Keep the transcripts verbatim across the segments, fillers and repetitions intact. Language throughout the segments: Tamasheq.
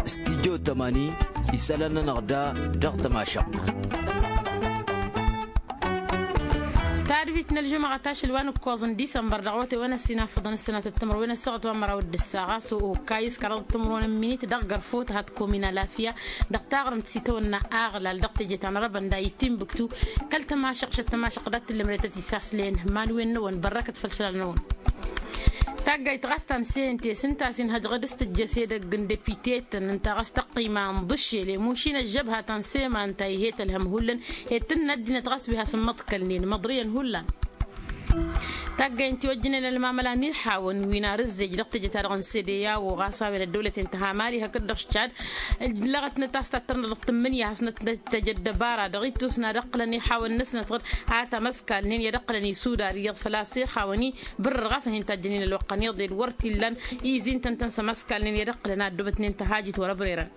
Stijjo tămani isălan-nănăɣ da dăɣ-tămašăɣt. Tadbit n-ălžumăɣăt ašăl wa n-ǝkkoẓ n-disămbăr dăɣ-awătay wa n-ăssinafăḍăn ǝssănatăt timǝrwen ăssaɣăt wa n-măraw d-ǝssaɣ a-s okayǝs kăraḍăt timǝrwen n-minit dăɣ-gărfot hat-komin alafya dăɣ-taɣrǝmt s-itawănna aɣlal dăɣ-teje ta n-arăbăn d-ayǝttin bǝktu. Kăl-tămašăɣt šăt tămašăɣt dat-tǝllǝmrătăt isaslăyăn. Iman-wen-năwăn bărrăkăt făll-isălan-năwăn. Taggayt ɣas ta n-sente s-ǝnta a-s inhăjɣăd s-tǝjjăs edăgg n-depite-tăn ǝnta ɣas tăqqima n-iḍǝššel i-mušin ăžžăbha ta n-sema ǝnta ih'-e tălhăm hullan. Ed tǝnna ăddinăt ɣas wi hasăn-măḍkălnen măḍriyăn hullan. Taggayt n-tiwăjjǝnen ălmamăla n-iḥawăn wi n-arǝzzej dăɣ-teje-ta-dăɣ n-sede i-a-wa ɣas a-wen ăddăwlăten tăhamali hakd-dăɣ šad. Lăɣătnăt a-s tattărnăt dăɣ-tǝmmǝnǝya hasnăt tăjăt dăbara dăɣ-ittǝwsna d-ăqqǝlăn iḥawăn-năsnăt ɣǝd a tamăskalnen i-ad-ăqqǝlăn isudar iyyăḍ făl-a-s ixawăn-i. Bǝrrǝɣ a-s ad-hin-tajjănen ălwăqq ăniḍe d-wăr t-illan izin-tăn-tăn s-ămăskalnen i-ad-ăqqǝlăn ad-dd-obătnen tăhajit wăr-ăbrerăn.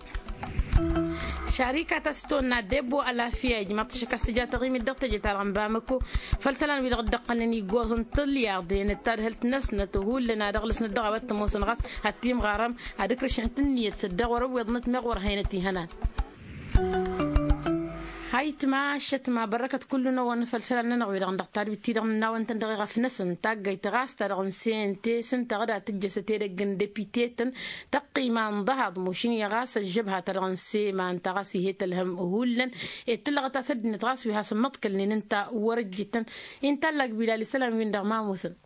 Šarikat a-s tăwănna debbo alafya ijmaḍ-t ašăk a-s tǝja taɣimit dăɣ-teje-ta-dăɣ n-bamăko. Făll-isălan-wi-dăɣ dd-ăqqălnen iggoẓ n-tǝlyaḍen d-tadhǝlt-năsnăt hullan ad-ăɣlăsnăt dăɣ-a-wa t-ămoosăn ɣas ad-t-imɣarăm ad-ǝkrǝšăn tǝnniyăt s-dd-dăɣ wăr-ăwweḍnăt meɣ wăr haynăt ihănan. Hayǝtma ašătma bărrăkăt kullu-năwăn făll-isălan-nănăɣ-wi-dăɣ dăɣ-tadwit-ti-dăɣ nǝnnawăn-tăn dăɣ-iɣăf-năsăn taggayt ɣas ta dăɣ-n sente s-ǝnta ɣǝd ad-tǝjjăsăt edăgg n-depite-tăn. Tăqqima n-ḍăhaḍ mušin-i ɣas ăžžăbha ta dăɣ-n sema ǝnta ɣas ih'-e tălhăm hullan. Ed tǝllăɣăt a-s ăddinăt ɣas wi hasăn-măḍkălnen ǝnta wăr-ǝjjǝtăn. Inta ăllak bilal isălan-win-dăɣ ma ămoosăn.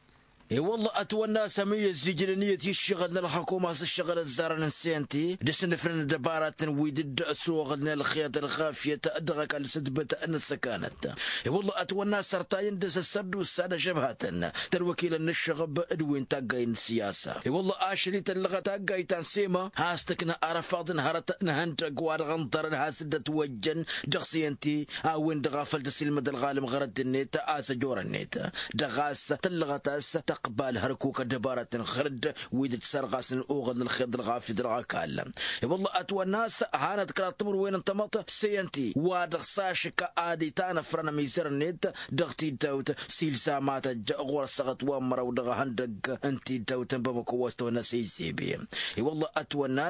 I-wălla ătwănna a-s ămǝyyăz d-ijlăn iyyăt i-ǝššăɣǝl n-ălxăkum a-s ǝššăɣǝl ăzzarăn n-sente d-asǝnnǝfrăn ăddăbaratăn wi dd-ăsoɣălnen ălxeḍ ălɣafyăt dăɣ-ăkall s-ǝtbǝt n-ăssăkanăt. I-wălla ătwănna a-s ărtayăn dăr-s ăssărdusa d-ažăbhatăn tălwăkilăn n-ǝššăɣăb d-wi n-taggay n-siyasa. I-wălla ašăl-i tăllăɣăt taggayt ta n-sema has-tǝkna arăfaḍ n-hărăt n-ihăndăgg wa dăɣ-ǝnḍărăn has-dd-ătwăjjăn dăɣ-sente a-wen-dăɣ a făl tăsilmăd ălɣalăm ɣărădd-net a-s ăjorăn-net. Dăɣ-a-s tăllăɣăt a-s tăqbal hărkuk ăddăbaratăn ɣărădd wi dd-sărɣasnen oɣăl n-ălxeḍ ălɣafyăt dăɣ-ăkall. I-wălla ătwănna a-s hanăt kăraḍ timǝrwen n-tamăḍt sente wa dăɣ-s ašǝkka ad-itanăfrăn ămizăr-net dăɣ-tiddawt s-ilzamatăj ɣur-ăssaɣăt wa n-măraw dăɣ-ehăndăgg n-tiddawt n-bamăko wa s-tăwănna s-e-zebe. I-wălla ătwănna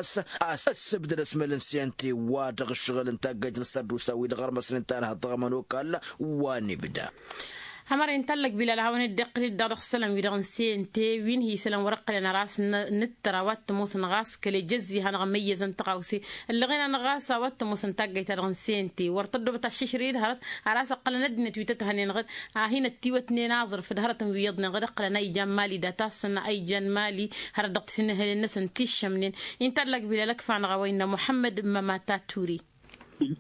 a-s ăssibdăd ăsmăl n-sente wa dăɣ-ǝššăɣǝl n-taggayt n-ăssărdusa wi dăɣ-ărmăsnen tanhăḍt dăɣ-ămănokal wa n-ibda. Ămăra intallăk bilal a hawăn-dd-iqqǝl-dd dăɣ-isălan-wi-dăɣ n-sente wi n-hi-isălan wăr-ǝqqǝlăn ăras n-ǝttăr a-wa t-ămoosăn ɣas kăl-ejăzzi hanăɣ-măyyăzăn tăɣawse. Ăllăɣen-anăɣ ɣas a-wa t-ămoosăn taggayt-ta-dăɣ n-sente wăr tăddobăt aššǝšrǝy d-hărăt. Ăras ǝqqǝlăn ăddinăt wi tăt-hănen ɣǝd a hin-ăttiwătnen aẓrǝf d-hărătăn wi iyyăḍnen ɣǝd ǝqqǝlăn a ijan mali d-atassăn a ijan mali. Hărăt dăɣ-tisǝnnǝhǝlen-năsăn tiššămnen intallăk bilal ăkf'-anăɣ a-wa innă muḥămmăd mămata ture.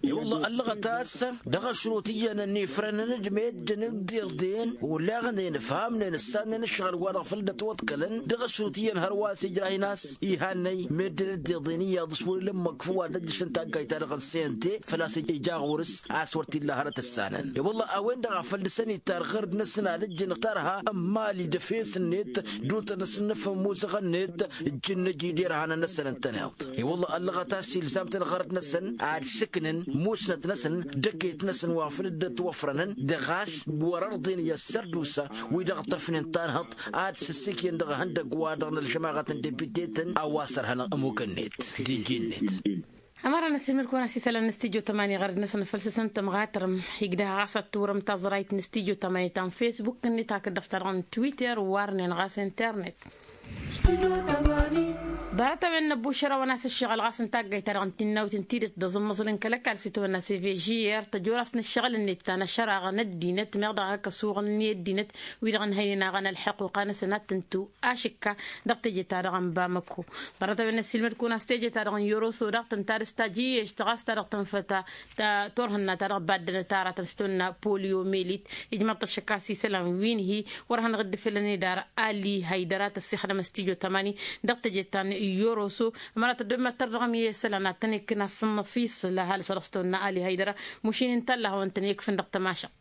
I-wălla ăllăɣăt a-s dăɣ-ašrut iyyăn ănnifrănăn d-meddǝn d-iḍen olaɣnen ǝfhamnen ǝssannen ǝššăɣǝl-wa-dăɣ făl dd-ătwăḍkălăn dăɣ-ašrut iyyăn hărwa a-s ijrah-in a-s. Ihannăy meddǝn d-iḍen iyyăḍ s-wăr-ila ǝmmǝk făw ad-ăjjăšăn taggayt-ta-dăɣ n-sente făl-a-s ija ɣur-s a-s wăr t-illa hărăt ǝssanăn i-wălla a-wen-dăɣ a făl dăr-săn ittar ɣărd-năsăn ad-ǝjjǝn ǝktarha n-imali d-efes-net d-ultăn-năsăn n-efămmusăɣ-net. Ǝjjǝnnăj-i d-irhanăn-năsăn ǝntăneḍ i-wălla ăllăɣăt a-s ilzam-tăn ɣărăt-năsăn ad-sǝknăn musnăt-năsăn d-eket-năsăn wa făl dd-ătwăfrănăn dăɣ-a-s wăr-ărḍen i-ăssărdusa wi dăɣ-tăfnen tanhăḍt ad-sǝssǝkyăn dăɣ-ihăndăgg-wa-dăɣ n-ălžămaɣăt n-depite-tăn a-wa s-ărhănăɣ ămukăn-net d-iji-net. Ămăra n-ăssiilmăd-kăwăn a-s isălan n-studyo tămani ɣărăd-năsăn făll-s s-ǝntăm ɣatrăm. Igdăh ɣas ad-tǝwrǝm taẓrayt n-studyo tămani ta n-facebook-net hakd dăɣ-s ta-dăɣ n-twitter warnen ɣas internet. Ḍarăt-a-wen năbbušărăwăn a-s ǝššăɣǝl ɣas n-taggayt-ta-dăɣ n-tinnawt n-tidǝt d-aẓǝmmăẓǝl n-kăl-ăkall s-itawănna s-e v g r tăjorăst n-ǝššăɣǝl-net ta n-ăššăraɣăn ăddinăt meɣ dăɣ-hak ăsuɣǝlăn i-ăddinăt wi-dăɣ ǝnhăynen aɣăn ălḥăquqa-năsăn ad-tǝntu ašǝkka dăɣ-teje-ta-dăɣ n-bamăko. Ḍarăt-a-wen năssiilmăd-kăwăn a-s teje-ta-dăɣ n-yoroso daɣ tǝnta dăr-s tajǝyyešt ɣas ta dăɣ-tǝnfăt ta turhǝnna ta dăɣ-baddănăt ta aratăn s-tăwănna poliomelit. Ijmăḍ-t ăššăk a-s isălan wi n-hi-wăr hanăɣ-dd-ifǝlăn idar ali haydăra tăssixdăm s-tijo tămani dăɣ-teje ta n-yoroso. Ămăra tăddob mad-tărdăɣăm i-isălan ad-tăn-ikkǝn asǝnnăf isǝl ăhalǝs a dăɣ-s tăwănna ali haydăra. Mušin ǝnta a ǝlla hawăn-tăn-ikkǝfǝn dăɣ-tămašăɣt.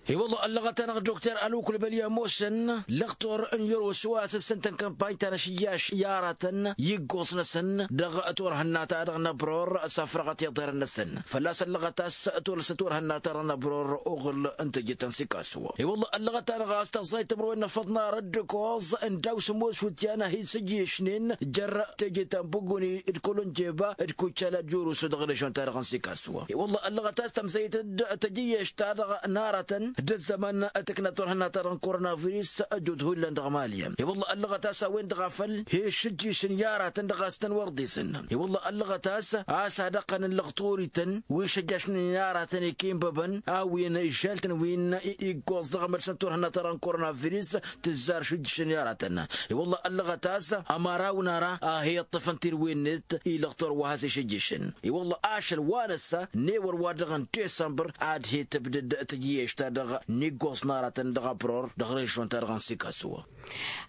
I-wălla ăllăɣăt-anăɣ dokter ălwăkul bălya ămoosăn lăxtur n-yăros wa s-ǝssǝntăn kămpany ta n-ašǝyyaš i-aratăn iggoẓ-năsăn dăɣ-turhǝnna-ta-dăɣ n-abror s-afrăɣăt iḍerăn-năsăn fălla-s ăllăɣăt a-s tulăs turhǝnna-ta-dăɣ n-abror uɣǝl n-teje ta n-sikasu. I-wălla ăllăɣăt-anăɣ a-s tăẓẓay timǝrwen n-afăḍ n-ara dd-ǝkoẓ n-daw s-ămoos wǝtyan a hi-sǝjjǝyăšnen jer-teje ta n-buguni d-kălănjeba d-kucala d-jurǝsu dăɣ-režion-ta-dăɣ n-sikasu. I-wălla ăllăɣăt a-s tămsăyăt-dd tăjǝyyăš-ta-dăɣ n-aratăn d-ăzzăman tǝkna turhǝnna-ta-dăɣ n-koronavirus ăjut hullan dăɣ-mali. I-wălla ăllăɣăt a-s a-wen-dăɣ a făl hi-išǝjjǝyǝšăn i-aratăn dăɣ-a-s tăn-wăr ḍisăn. I-wălla ăllăɣăt a-s a-s ad-ăqqăn n-lăɣturităn wi šăjjašnen i-aratăn ikinbăbăn a-wen ižžaltăn wi n-iggoẓ dăɣ-mărsăn turhǝnna-ta-dăɣ n-koronavirus tǝzzar šǝjjǝšăn i-aratăn. I-wălla ăllăɣăt a-s ămăraw n-ara a hi-iṭṭăfăn tirwen-net i-lăɣtur wa has-išǝjjǝšăn. I-wălla ašăl wa năssa n-ewăr wa dăɣ-n disămbăr ad-hi-tǝbdǝd tăjjǝyăš-ta-dăɣ n-iggoẓ n-aratăn dăɣ-abror dăɣ-režion-ta-dăɣ n-sikasu.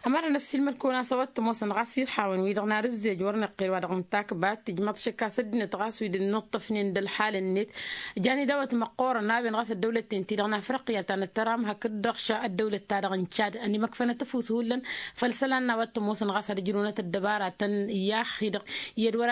Ămăra n-ăssiilmăd-kăwăn a-s a-wa t-ămoosăn ɣas irḥawăn-wi-dăɣ n-ad-ǝzzej wăr nǝqqel wa dăɣ-nǝtakbat tǝjmăḍ šăkk a-s ăddinăt ɣas wi dd-ǝnnuṭṭăfnen d-ălḥal-net. Jan idawăt măqqoorăn a-wen ɣas ăddăwlăt-ten-ti-dăɣ n-afriqya ta n-ăttăram hakd-dăɣ ša ăddăwlăt-ta-dăɣ n-cad ănimăkfănăt ăfuss hullan. Făll-isălan n-a-wa t-ămoosăn ɣas ad-ǝjrǝwnăt ăddăbaratăn i-axi-dăɣ i-ad-wăr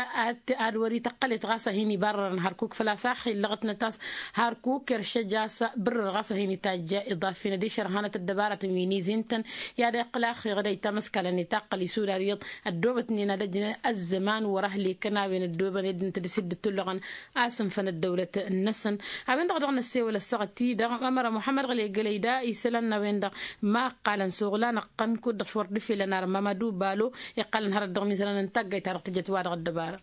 ad-wăr-ităqqălet ɣas a hin-ibarrărăn hărkuk făl-a-s axi ǝllăɣătnăt a-s hărkuk eršăj a-s bǝrrăr ɣas a hin-itajj iḍafen ad-išărhanăt ăddăbaratăn wi n-izi ǝntăn. I-ad-iqqǝl axi ɣǝdăy tamăskala n-itaqqăl isudar iyyăḍ ăddoobătnen ad-ăjnăn ăzzăman wăr-ăhlekăn a-wen ăddoobăn ed ǝnta dăr-s dd-ǝttullăɣăn a-s ǝnfăn ăddăwlăt-năsăn. A-wen-dăɣ dăɣ-năssewăl ăssaɣăt-i-dăɣ ămăra muḥămmăd ɣăley gălăy da isălan n-a-wen-dăɣ ma ǝqqalăn s-oɣlan ăqqăn kud-dăɣ s-wăr dd-ifelăn ar mamadu balo iqqalăn hărăt dăɣ-mizălan n-taggayt-ta-dăɣ tǝjăt-wa-dăɣ ăddăbara.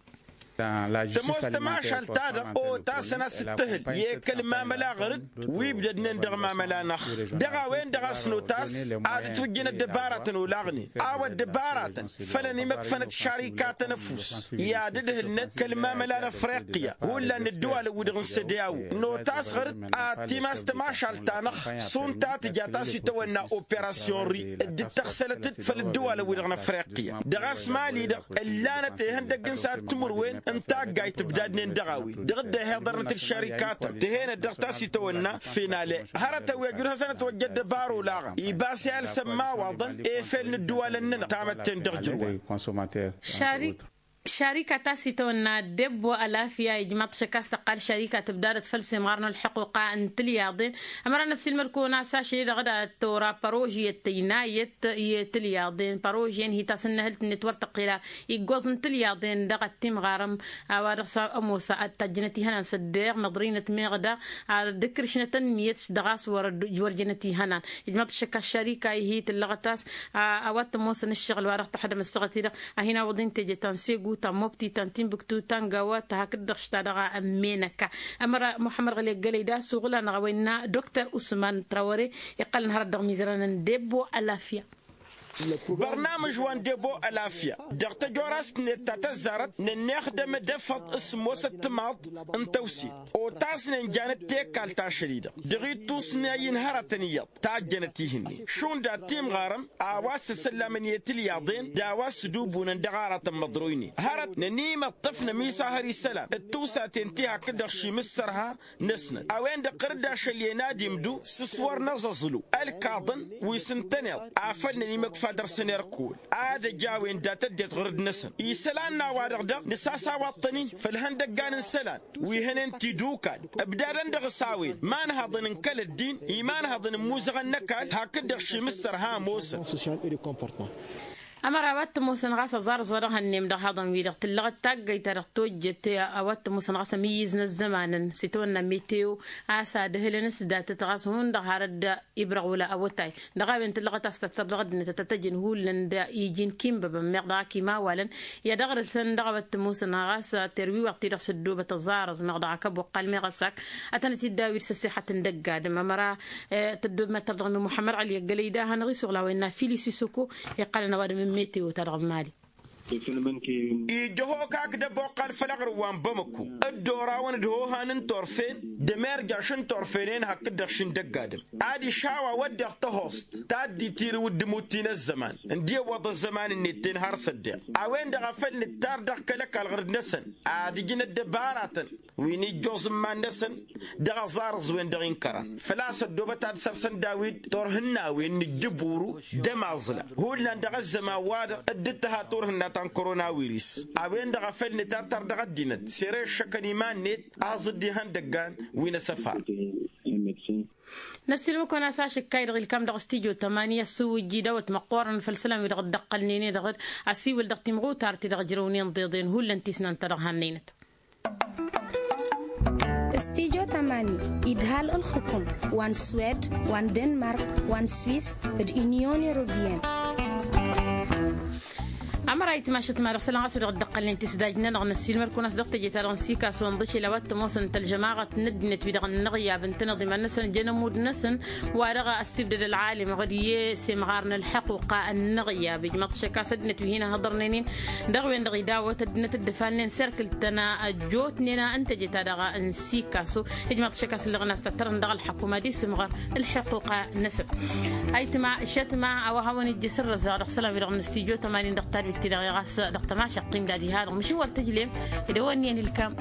Tămoos tămašalt-ta-dăɣ otasăn a-s ǝttǝhǝl i-kăl-mamăla ɣăr-dd wi ǝbdădnen dăɣ-mamăla-năɣ. Dăɣ-a-wen-dăɣ a-s notas ad-ǝtwǝjjăn ăddăbaratăn olaɣnen a-wa ăddăbaratăn făll-ănimăkfănăt šarikatăn ăfuss i-ad-ǝdhǝlnăt kăl-mamăla n-afriqya hullan n-ǝddǝwalăn-wi-dăɣ n-sădăyaw. Notas ɣăr-dd ad-timas tămašalt-ta-năɣ šund ta tǝja ta s-itawănna operasyon ri dd-tăɣsălăt-dd făll-ǝddǝwalăn-wi-dăɣ n-afriqya. Dăɣ-a-s mali-dăɣ ǝllanăt ihăndăgg n-sad timǝrwen n-taggayt ǝbdadnen dăɣ-a-wen dăɣ-dd-ehhiḍărnăt d-šarikatăn tǝhenăt dăɣ-ta s-itawănna finale. Hărătăn wi ăjud hasăn-ătwăjja ăddăbar olaɣăn ibas i-alsăn imawaḍăn efel n-ǝddǝwalăn-nănăɣ tamătte n-dăɣ-jǝrwa. Šarika ta s-itawănna debbo ălafya ijmaḍ-t šăkk a-s tăqqal šarika tǝbdadăt făll-semɣar n-ălḥuquqa n-tilyaḍen. Ămăra n-ăssiilmăd-kăwăn a-s ašăl-i-dăɣ d-ad-tora părožyăt tăynayăt i-tilyaḍen părožyăn hi-tasǝnnăhǝlt-net wăr tăqqel ar iggoẓ n-tilyaḍen dăɣ-ăttimɣarăm. A-wa dăɣ-s ămoos ad-tajjănăt ihănan s-ăddeɣ năḍrinăt meɣ daɣ ad-ǝkrǝšnăt ănniyăt dăɣ-a-s wăr jănăt ihănan. Ijmaḍ-t šăkk a-s šarika-i hi-tǝllăɣăt a-s a-wa t-ămoosăn ǝššăɣǝl wa dăɣ-tăxdăm ăssaɣăt-i-dăɣ a hin-awăḍ intăjăt ta n-segu ta n-mobti ta n-timbuktu ta n-gawa ta hakd-dăɣ šta dăɣ-ămmenăka. Ămăra muḥămmăd ɣăli ăggălăy da suɣǝl-anăɣ a-wa innă dokter usman trawăre iqqălăn hărăt dăɣ-mizărăn n-debbo ălafya. Bărnamǝj wa n-debbo ălafya dăɣ-tăjorast-net ta tăzzarăt nănnexdăm d-efăḍ s-ămoosăt timaḍ n-tăwsit otasnen janăt tekalt ašăl-i-dăɣ dăɣ-ittusnay n-hărătăn iyyăḍ tajjănăt ihǝnnin šund ad-timɣarăm a-wa s-săsăllamăn i-tilyaḍen d-a-wa s-sǝdubunăn dăɣ-aratăn măḍroynen hărăt nănimăṭṭăf nămisahăr isălan d-tiwsaten ti hakd-dăɣ šimǝssărha-năsnăt a-wen-dăɣ ɣǝr-dd ašăl i-ănadimdu s-s-wăr năẓăẓlu ălkaḍăn wi s-ǝntăneḍ afăl nănimăkfa dăr-săn irkăwăn ad-ăj a-wen dat-ăddinăt ɣǝr-dd-năsăn isălan n-a-wa-dăɣ daɣ nǝsasawaḍ-tăn-in făll-ihăndăggan n-isălan wi hănen tidukal ǝbdadăn dăɣ-s a-wen imanhăḍăn n-kăl-ăddin imanhăḍăn n-imuzăɣăn n-ăkall hakd-dăɣ šimǝssăr ha ămoosăn. Ămăra a-wa t-ămoosăn ɣas aẓarǝẓ wa dăɣ-hănnem dăɣ-ihăḍăn-wi-dăɣ tǝllăɣăt taggăyt ta dăɣ-tojjăt a-wa t-ămoosăn ɣas ămǝyyǝz n-ăzzămanăn s-itawănna meteo a-s ad-ǝhlăn s-datăt ɣas hundăɣ har dd-ibrăɣ wăla awătay. Dăɣ-a-wen tǝllăɣăt a-s tăttăr dăɣ-ăddinăt ad-tăt-ăjǝn hullan d-iji n-kinbăbăn meɣ dăɣ-ak imawalăn i-ad-ăɣrǝsăn dăɣ-a-wa t-ămoosăn ɣas terwiwaḍt-ti-dăɣ s-ăddoobăt ăẓarǝẓ meɣ dăɣ-ak ăboqqal meɣ ăsak ad-tănăt-dd-awǝy d-săssixăt n-dăgg-adǝm ămăra tăddoobem ad-tărdăɣ mi muḥămmăd ɣăli ăggălăy da hanăɣ-isuɣla wa innă fili sisoko iqqălăn ăwadǝm n-meteo-ta-dăɣ n-mali. Ija hokak d-ăboqqal făll-aɣrǝm wa n-bamăko dd-orawăn d-hohan n-torfen d-emerjaš n-torfenen hakd-dăɣ šindăgg-adǝm ad-išawa wădden tăhost ta dd-itirǝw d-imutti n-ăzzăman ǝndi ăwwăḍ ăzzăman-net-ten har s-ăddeɣ a-wen-dăɣ a făl nǝttar dăɣ-kăl-ăkall ɣǝr-dd-năsăn ad-ǝjǝn ăddăbaratăn. wi n-ijjoẓ n-iman-năsăn dăɣ-aẓarǝẓ-wen-dăɣ inkărăn făl-a-s ăddoobăt ad-săr-săn daw-dd turhǝnna-wen n-ǝjjǝburu d-ămaẓla hullan dăɣ-ăzzăman-wa-dăɣ dd-tǝha turhǝnna ta n-koronawiris. A-wen-dăɣ a făl nǝtattăr dăɣ-ăddinăt sere ǝššăkăn iman-net aẓ-dd ihăndăggan wi n-asăfar. Năssiilmǝk-kăwăn a-s ašǝkkay-dăɣ ilkam dăɣ-studyo tămani ăssuwǝjji dawăt măqqoorăn făll-isălan-wi-dăɣ dd-ăqqălnen-e-dăɣ d-asiwǝl dăɣ-timɣutar ti-dăɣ ǝjrăwnen ḍeḍen hullan tisnant ta dăɣ-hannăynăt. Studyo tămani idhal ǝlxǝkum wa n-swed wa n-denmark wa n-swis d-inyon europiyăn. Ămăra itmašăt ma dăɣ-isălan ɣas wi-dăɣ dd-ăqqălnen tisdaj-nănăɣ năssiilmăr-kăwăn a-s dăɣ-teje-ta-dăɣ n-sikaso ǝnḍǝšel a-wa t-ămoosăn tălžămaɣăt n-ăddinăt wi-dăɣ ănnăɣyab ǝntăneḍ iman-năsăn jăn ămudd-năsăn wa dăɣ-ăssibdăd ălɣalim ɣǝd i-semɣar n-ălḥăquqa ănnăɣyab ijmăḍ-t šăkk a-s ăddinăt wi hin-ăhhăḍărnen-in dăɣ-wen-dăɣ idawăt ăddinăt dd-ǝfalnen serkǝl-tăn ăjjootnen n-teje-ta-dăɣ n-sikaso. Ijmăḍ-t šăkk a-s ǝllăɣăn a-s tăttărăn dăɣ-ălḥăkum ad-isǝmɣăr ălḥăquqa-năsăn. Ayǝtma šătma a-wa hawăn-ijjǝs ǝrrăzăɣ dăɣ-isălan-wi-dăɣ n-studyo tămani dăɣ-tadwit-ti-dăɣ i-ɣas dăɣ-tămašăqqim d-ad-iha-dăɣ măšin wăr tǝjlem. Idăwănni ănilkam.